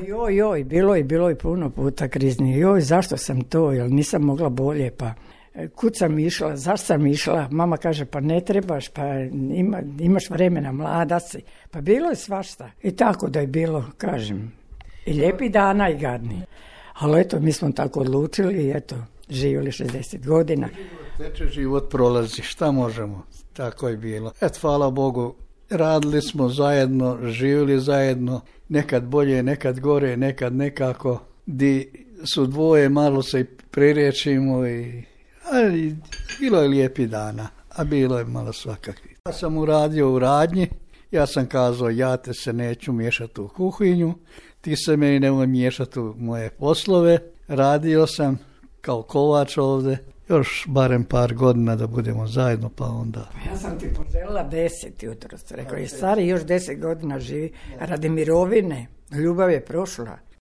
Joj, bilo je puno puta krizni. Joj, zašto sam to, jer nisam mogla bolje, pa kud sam išla, zašto sam išla, mama kaže pa ne trebaš, pa imaš vremena, mlada si, pa bilo je svašta. I tako da je bilo, kažem, i lijepi dana i gadni. Ali eto, mi smo tako odlučili i eto, živjeli 60 godina. Teče život prolazi, šta možemo, tako je bilo. Eto, hvala Bogu, radili smo zajedno, živjeli zajedno, nekad bolje, nekad gore, nekad nekako, di su dvoje, malo se i prirečimo, ali bilo je lijepi dana, a bilo je malo svakakvi. Ja sam uradio u radnji, ja sam kazao ja te se neću miješati u kuhinju, ti se meni nemoj miješati u moje poslove, radio sam kao kovač ovdje, još barem par godina da budemo zajedno, pa onda... Ja sam ti poželjela 10 jutro, rekao je stari još 10 godina živi, radi mirovine, ljubav je prošla.